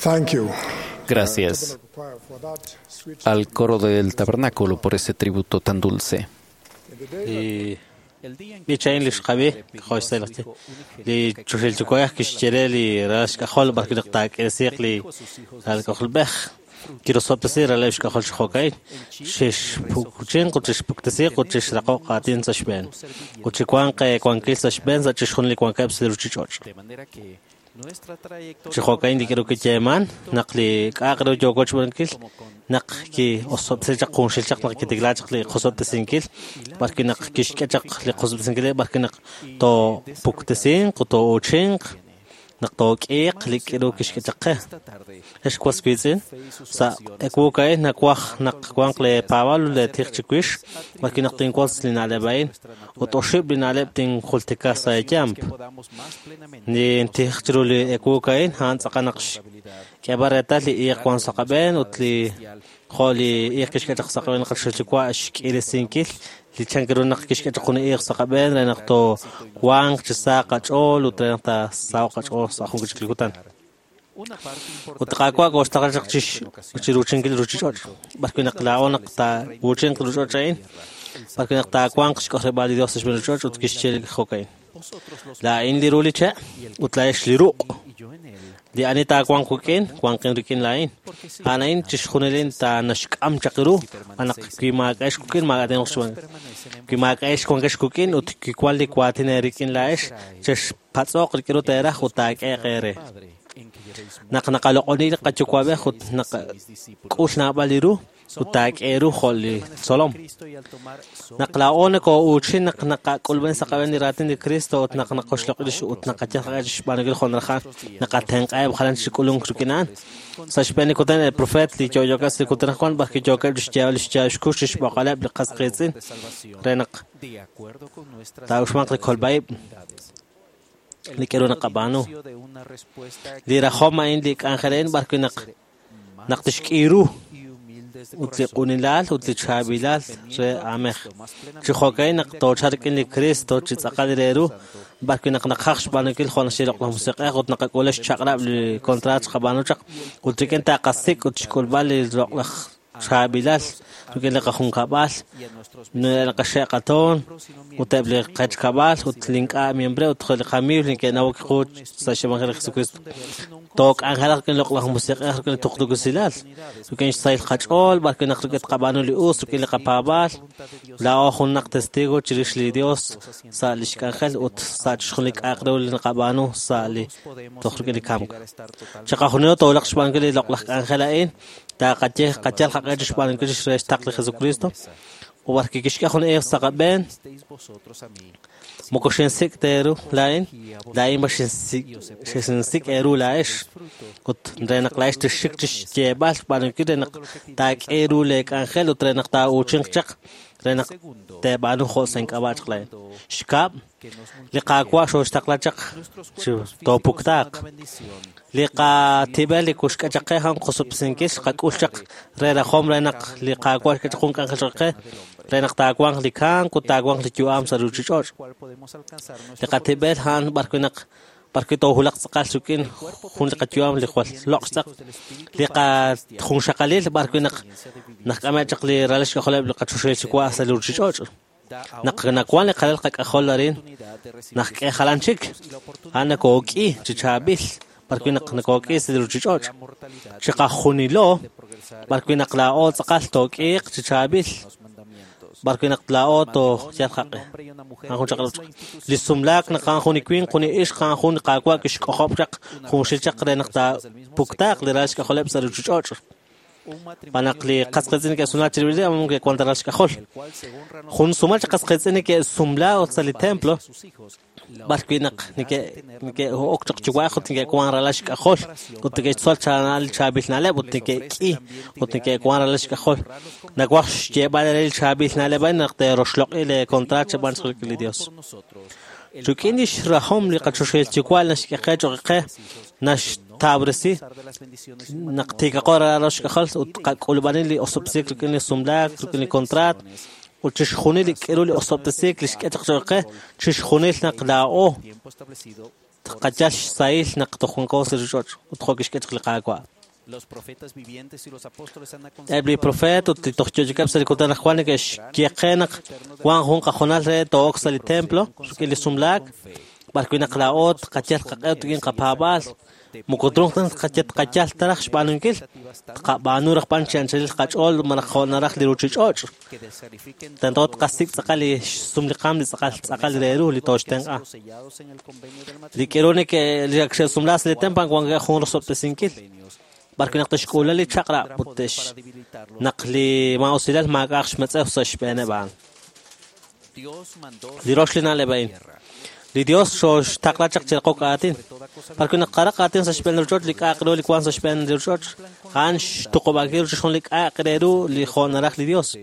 Thank you. Gracias al coro del tabernáculo por ese tributo tan dulce. Li b'ich a'in li xqab'i jo' xse'laqchi li chuxil yuwa'ej kixye re li ralal xk'ajol b'arwi' naq taak'irisiiq li ralal k'ajolb'ej kirosob'tesi ralal xk'ajol chi jo'ka'in xexpukuchinq ut xexpuktesiiq ut xexraqoq aatin sa' xb'een ut chiwanq wankil sa' xb'een sa' chixjunil li wankeb' sa' li ruuchich'och'. Chi jo'ka'in li k'aru kiyeeman naq li k'a'aq ru yooko xb'aanunkil naq ki'osob'tesi chaq junxil chaq naq kitiklaa chaq li qosob'tesinkil b'arwi' naq kixk'e chaq li qosob'tesinkil b'arwi' naq toopuktesinq ut toouchinq naq took'iiq li k'aru kixk'e chaq qe. Ex was wiitz'in sa' ewu a'in nawaj naq wanq leepaab'aal ut leetij chiwix b'arwi' naq tinwotz li na'leb' a'in ut oxib' li na'leb' tinjultika sa' eeyamp. Nintij chiru li ewu a'in a'an tz'aqal naq xk'eeb'al reetal li iiq wank sa' qab'een ut li jo' li iiq kixk'e chaq sa' qab'een li qachoxahil Yuwa' xk'iresinkil li chan ru naq kixk'e chaq jun iiq sa' qab'een re naq toowanq chi sa qach'ool ut re naq taasaho'q qach'ool sa' jun chik li kutan. Ut li Qaawa' kooxtaqla chaq chiruuchinkil li ruuchich'och' b'arwi' naq laa'o naq taawuuchinq li ruuchich'och' a'in b'arwi' naq taawanq xk'ojleb'aal li Dios sa' xb'een ruuchich'och' ut kixye li jo'ka'in. Laa'in li ru li che' ut laa'ex li ruq'. Li ani taawanq wik'in, wanqin rik'in laa'in. A'an a'in chixjunilin taanaxk'am chaq ru, naq wi maak'a'ex wik'in maak'a' xwan. Wi maak'a'ex wankex wik'in ut wi wan li waatin eerik'in laa'ex, chexpatz'oq rik'in ru teeraj ut taak'eeq eere. Naq naqaloq'oni li qayuwa'b'ej ut naqak'ul naab'al li ru ut taak'e ru jo' li tzolom. Naq laa'o nakoo'uuchin naq naqak'ulb'en sa' qab'een li raatin li Cristo ut naq naqoxloq'i lix ut naqayal qaq'e chixb'aanunkil jo' naraj a'an, naqatenq'aheb' jalan chi k'ulunk rik'in a'an. Sa' xb'een li kutan el profeet li yo'yookeb' sa' li kutan wan b'arwi' yookeb' chixyeeb'al lix yaab' xkux chixb'oqaleb' li qas qiitz'in re naq taa'uxmanq li kolb'a-ib' li k'aru naqab'aanu. Li rajom a'in li k'anjel a'in b'arwi' naq naq tixk'i ru ut li q'unilal ut li chaab'ilal re aamej. Chi jo'ka'in naq toochalq rik'in li Cristo chi tz'aqal re ru b'arwi' naq naqaj xb'aanunkil jo' naxye Loq'laj Musiq'ej ut naqak'ul xchaq'rab' li contrato xqab'aanu chaq ut rik'in taqasik' ut xk'ulb'al li loq'laj chaab'ilal rik'in li qajunkab'al, li qaxe' qatoon ut eb' li qechkab'al ut li ink'a' miembre ut li qamiiw li neke'nawok qu sa' xevangelio li Jesucristo. Took'anjelaq rik'in Loq'laj Musiq'ej rik'in li tuqtuukilal, rik'in xsahil qach'ool b'arwi' naq rik'in tqab'aanu li us rik'in li qapaab'aal. Laa'o junaq testigo chirix li Dios sa' lix k'anjel ut sa' chixjunil li k'a'aq ru li naqab'aanu sa' li toj rik'in li kamk. Chiqajunilo toolaq xb'aanunkil li loq'laj k'anjel a'in taqaye qayal qaq'e chixb'aanunkil re xtaql li Jesucristo. Ut b'arwi' kixk'e jun iiq sa' qab'een moko xinsik' ta eeru laa'in, laa'in b'an xinsik' eeru laa'ex. Ut re naq laa'ex tixxik chixyeeb'al xb'aanunkil re naq taak'e ru leek'anjel ut re naq taa'uuchinq chaq re naq teeb'aanu jo' sa' ink'ab'a' chaq laa'in. Xkab', li Qaawa' xooxtaqla chaq chi toopuktaaq. Li qatib'el li kuxk'e chaq qe a'an qosob'tesinkil xqak'ul chaq re rajom re naq li Qaawa' xk'e chaq jun k'anjel choq' qe re naq taawanq li kamk ut taawanq li yu'am sa' ruuchich'och'. Li qatib'el a'an b'arwi' naq b'arwi' toohulaq tz'aqal rik'in jun li qayu'am li jwal loq' xtz'aq. Li qajunxaqalil b'arwi' naq nak'ame' chaq li ralal xk'ajoleb' li qachoxahil Yuwa' sa' li ruuchich'och'. Naq nawank li qalal qak'ajol arin naq k'e jalan chik, a'an nakook'i chi chaab'il b'arwi' naq nakook'i sa' li ruuchich'och'. Chiqajunilo b'arwi' naq laa'o tz'aqal took'iiq chi chaab'il b'arwi' naq laa'o tooyal qaq'e. A'an jun chaq'rab' chaq. Li sumlaak naq a'an jun li winq, jun li ixq, a'an jun li Qaawa' kixk'ojob' chaq junxil chaq re naq taapuktaaq li ralal xk'ajoleb' sa' ruuchich'och'. B'an naq li qas qiitz'in neke'sumlaak chirib'il rib', amun ke'wank ta ralal xk'ajol. Jun sumal chi qas qiitz'in neke'sumla ut sa' li templo b'arwi' naq neke'ok chaq yuwa'ej ut neke'wank ralal xk'ajol ut neke'xtzol li chaab'il na'leb' ut neke'k'i ut neke'wank ralal xk'ajol. Nawaj xyeeb'al re li chaab'il na'leb' a'in naq teeroxloq'i lee contrato xeb'aan chaq rik'in li Dios. Rik'in lix rajom li qachoxahil Yuwa' naxk'e qe choq' qe naxtabresi naq tiikaqo ralal xk'ajol ut qak'ulub'anil li osob'tesiik rik'in li sumlaak, rik'in li contrato ut chixjunil li k'aru li osob'tesiik li xk'e chaq choq' qe, chixjunil naq laa'o tqayal xsahil naq toj wanko sa' ruuchich'och' ut jo' kixk'e chaq li Qaawa'. Eb' li profeet ut li toj yo'yookeb' sa' li kutan anaqwan neke'xye qe naq wank jun qahoonal re to'ok sa' li templo rik'in li sumlaak, b'arwi' naq laa'o tqayal qaq'e ut rik'in qapaab'aal. Moko truuq ta tqayal ta raj xb'aanunkil, tqab'aanu raj b'an chi anchalil qach'ool malaj jo' naraj li ruuchich'och'. Tento tqasik' tz'aqal li xsum li qaam li tz'aqal tz'aqal re ru li tooxtenq'a. Li k'aru neke' li ak xe'sumlaak sa' li templo wankeb' jun rosob'tesinkil. B'arwi' naq te'xk'uula li chaq'rab' ut naq li maa'usilal maak'a'aq xmetz'ew sa' xb'eeneb' a'an. Li rox li na'leb' a'in. Li Dios xooxtaqla chaq chi raqok aatin. B'arwi' naq qaraq aatin sa' xb'een li ruuchich'och' li k'a'aq ru li wank sa' xb'een li ruuchich'och', a'an xtuqub'ankil ru chixjunil li k'a'aq re ru li jo' naraj li Dios.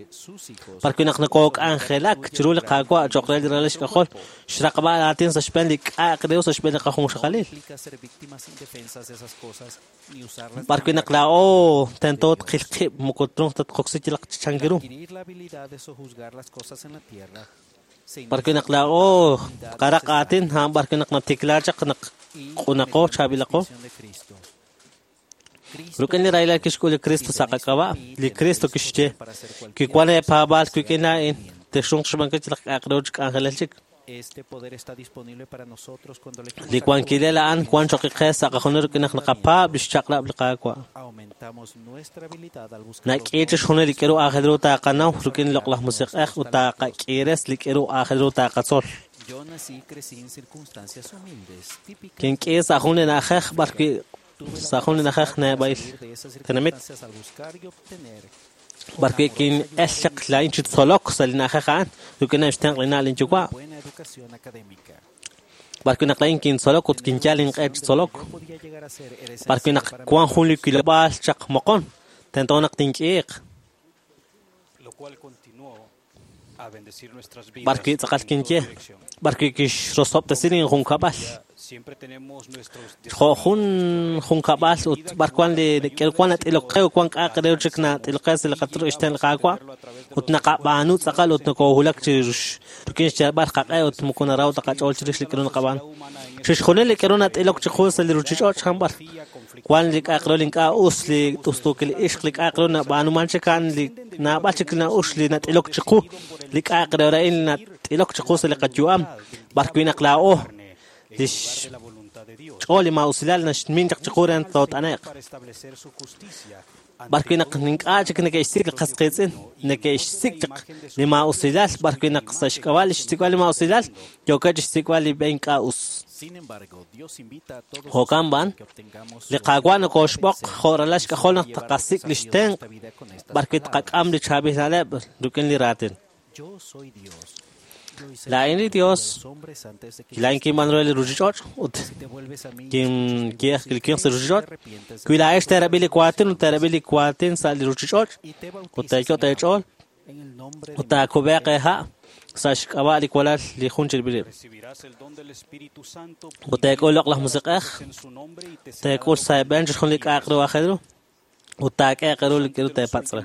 B'arwi' naq nokook'anjelak chiru li Qaawa' cho'q re li ralal xk'ajol, xraqb'al aatin sa' xb'een li k'a'aq re ru sa' xb'een li qajunxaqalil. B'arwi' naq laa'o tento tqil qib' moko truuq ta tqoksi yalaq chan ru. B'arwi' naq laa'o tqaraq aatin, a'an b'arwi' naq natikla chaq naq q'unaqo, chaab'ilaqo. Rik'in li rahilal kixk'ul li Kristo sa' qak'ab'a', li Kristo kixye, kiwank eepaab'aal wik'in laa'in, texruuq xb'aanunkil yalaq k'a'aq re ru chi k'anjelel chik. Li wankilal a'an wank cho'q qe sa' qajunil rik'in naq naqapaab' li xchaq'rab' li Qaawa'. Nak'i chixjunil li k'aru aajel ru taaqanaw rik'in li Loq'laj Musiq'ej ut taaqak'iires li k'aru aajel ru taaqatzol. Kink'i sa' jun li na'ajej b'arwi' sa' jun li na'ajej neb'a'il tenamit b'arwi' kin'el chaq laa'in chi tzolok sa' li na'ajej a'an rik'ineb' xtenq' li na' linyuwa'. B'arwi' naq laa'in kintzolok ut kinyal inq'e chi tzolok. B'arwi' naq wank jun li wilob'aal chaq moqon, tento naq tink'iiq. B'arwi' tz'aqal kinye, b'arwi' kixrosob'tesi linjunkab'al. Jo' jun junkab'al ut b'ar wank li wank nat'ilok qe ut wank k'a'aq re ru chik nat'ilok qe sa' li xtenq' li Qaawa' ut naqab'aanu tz'aqal ut nokoohulak chi rik'in xyalb'al qaq'e ut moko naraw ta qach'ool chirix li k'aru naqab'aanu. Chixjunil li k'aru nat'ilok chiqu sa' li ruuchich'och' a'an b'ar wank li k'a'aq re ru li ink'a' us, li t'ust'uukil ixq, li k'a'aq re ru nab'aanuman chik a'an li naab'al chik na'ux li nat'ilok chiqu, li k'a'aq re ru a'in nat'ilok chiqu sa' li qayu'am, b'arwi' naq laa'o li xch'ool li maa'usilal naxmin chaq chiqu re naq toot'ane'q. B'arwi' naq ink'a' chik neke'xsik' li qas qiitz'in, neke'xsik' chaq li maa'usilal, b'arwi' naq sa' xk'ab'a' li xsik'b'al li maa'usilal, yookeb' chixsik'b'al li b'e ink'a' us. Jo'kan b'an, li Qaawa' nokooxb'oq jo' ralal xk'ajol naq tqasik' li xtenq' b'arwi' tqak'am li chaab'il na'leb' rik'in li raatin. Laa'in li Dios, laa'in kinb'aanu re li ruuchich'och' ut kinye li winq sa' ruuchich'och'. Wi laa'ex teerab'i li waatin ut teerab'i li waatin sa' li ruuchich'och' ut teeyot' eech'ool ut taakub'eeq eeha' sa' xk'ab'a' li walal li jun chirib'il rib'. Ut teek'ul Loq'laj Musiq'ej, teek'ul sa' eeb'een chixjunil li k'a'aq ru aajel ru ut taak'eeq ru li k'aru teepatz' re.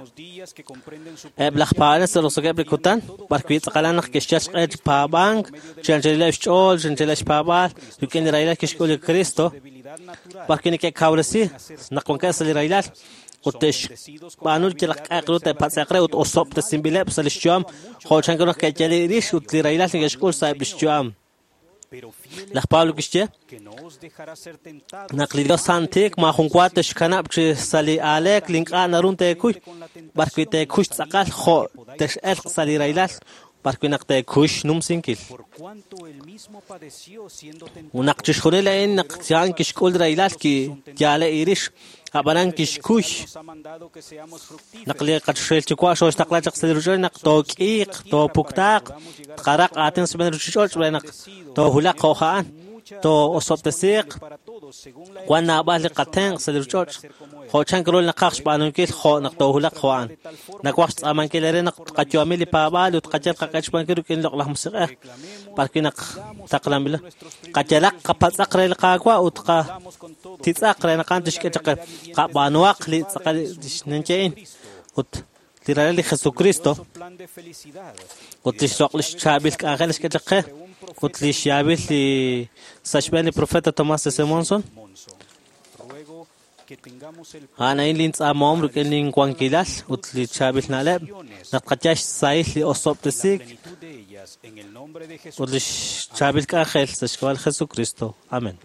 Eb' laj paab'anel sa' roso'jikeb' li kutan, b'arwi' tz'aqalan naq ke'xyal xq'e chi paab'ank, chi anchalileb' xch'ool, chi anchalileb' xpaab'aal, rik'in li rahilal kixk'ul li Kristo, b'arwi' neke'kawresi naq wankeb' sa' li rahilal ut te'xb'aanu yalaq k'a'aq ru te'patz'e'q re ut osob'tesinb'ileb' sa' li xyu'am jo' chanru naq ke'yal rix ut li rahilal neke'xk'ul sa'eb' li xyu'am. Laj Pablo kixye naq li Dios santiik maajun wa texxkanab' chi sa' li aaleek li ink'a' naru teekuy, b'arwi' teekuy tz'aqal jo' tex'elq sa' li rahilal, b'arwi' naq teekuy xnumsinkil. Naq chixjunil a'in naq a'an kixk'ul rahilal kiyaale irix, ab'anan kixkuy. Naq li qachoxahil Yuwa' xooxtaqla chaq sa' li ruuchich'och' naq took'iiq, toopuktaaq, tqaraq aatin sa' xb'een li ruuchich'och' re naq toohulaq jo' a'an, too'osob'tesiiq, wank naab'al li qatenq' sa' li ruuchich'och', jo' chan ru naqaj xb'aanunkil jo' naq toohulaq jo' a'an. Nawaj xtz'aamankil eere naq tqayu'ami li paab'aal ut tqayal qaq'e xb'aanunkil rik'in li Loq'laj Musiq'ej, b'arwi' naq taqlanb'ilo. Qayalaq qapatz'aq re li Qaawa' ut qatitz'aq re naq a'an tixk'e chaq qe. Qab'aanuhaq li tz'aqal ninye'in ut li ralal li Jesucristo ut li xloq' li xchaab'il k'anjel xk'e chaq qe ut li xyaab'il li sa' xb'een li profeta Tomás S. Monson. A'an a'in lintz'aamahom rik'in linwankilal ut li chaab'il na'leb' naq tqayal xsahil li osob'tesiik ut li chaab'il k'anjel sa' xk'ab'a' li Jesukristo. Amén.